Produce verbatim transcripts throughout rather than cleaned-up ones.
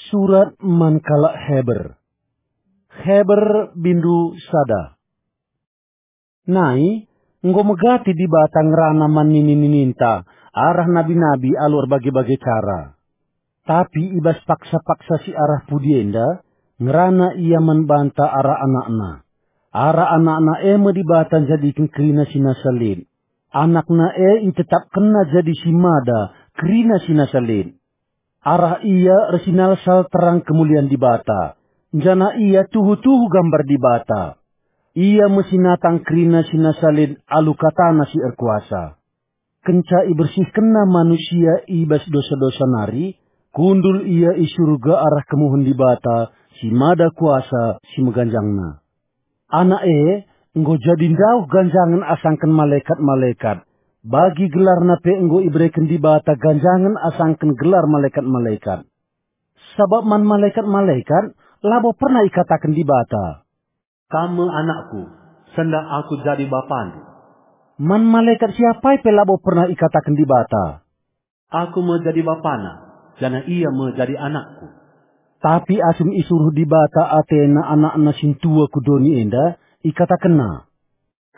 Surat man kalak Heber. Heber bindu sada. Nai, enggo megati Dibata ngerana man nini-nininta arah nabi-nabi alu erbage-bage cara. Tapi i bas paksa-paksa si arah pudi enda, ngerana Ia man banta arah AnakNa. Arah AnakNa e me Dibata njadiken kerina si nasa lit. AnakNa e itetapkenNa jadi si mada, kerina si nasa lit. Arah Ia ersinalsal terang kemulian Dibata, janah Ia tuhu-tuhu gambar Dibata. Ia me si natang kerina si nasa lit alu kataNa si erkuasa. Kenca ibersihkenNa manusia i bas dosa-dosa nari, kundul Ia i Surga arah kemuhen Dibata si mada kuasa si meganjangna. Anak e enggo jadi ndauh ganjangen asangken malekat-malekat, bagi gelarna pe enggo ibereken Dibata ganjangen asangken gelar malekat-malekat. Sabap man malekat-malekat labo pernah ikataken Dibata, "Kam me anakku, sendah Aku jadi bapandu." Man malekat si apai pe labo pernah ikataken Dibata, "Aku me jadi bapana, janah ia me jadi anakku." Tapi asum isuruh Dibata atena anakNa sintua ku doni enda, ikatakenNa,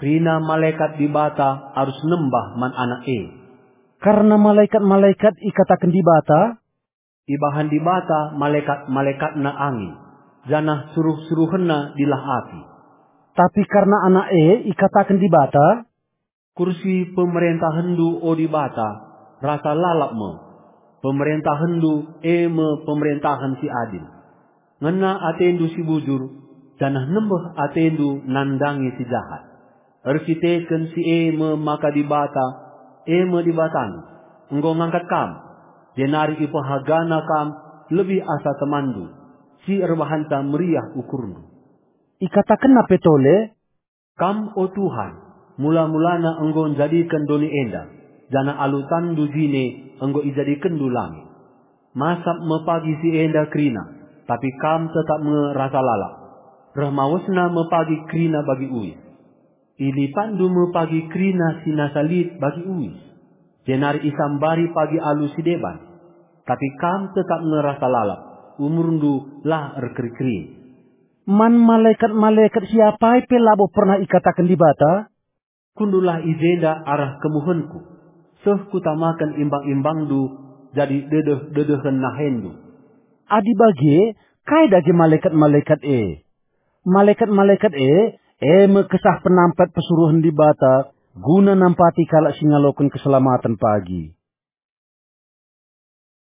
"Kerina malekat Dibata arus nembah man Anak e." Kerna malekat-malekat ikataken Dibata, "Ibahan Dibata malekat-malekatNa angin, janah suruh-suruhenNa dilah api." Tapi kerna Anak e ikataken Dibata, "Kursi pemerentahenndu, o Dibata, rasa lalap me. PemerentahenNdu e me pemerentahen si adil. Ngena ateNdu si bujur, janah nembeh ateNdu nandangi si jahat. Erkiteken si e me maka Dibata, e me Dibatandu, enggo ngangkat kam, jenari ipehagaNa kam lebih asa temanndu, si erbahanca meriah ukurndu." IkatakenNa pe tole, "Kam, o Tuhan, mula-mulana enggo njadiken doni enda, janah alu tanNdu jine enggo ijadikenndu langit. Masap me pagi si enda kerina, tapi Kam tetap nge rasa lalap. Reh mawesna me pagi kerina bagi uis. IlipatNdu me pagi kerina si nasa lit bagi uis, jenari isambari pagi alu si deban. Tapi Kam tetap nge rasa lalap, umurNdu la erkeri-kerin." Man malekat-malekat si apai pe labo pernah ikataken Dibata, "Kundullah i jenda arah kemuhenKu, seh Kutamaken imbang-imbangNdu jadi dedeh-dedehen nahenNdu." Adi bage, kai dage malekat-malekat e? Malekat-malekat e, e me kesah penampat pesuruhen Dibata guna nampati kalak si ngaloken keselamaten pagi.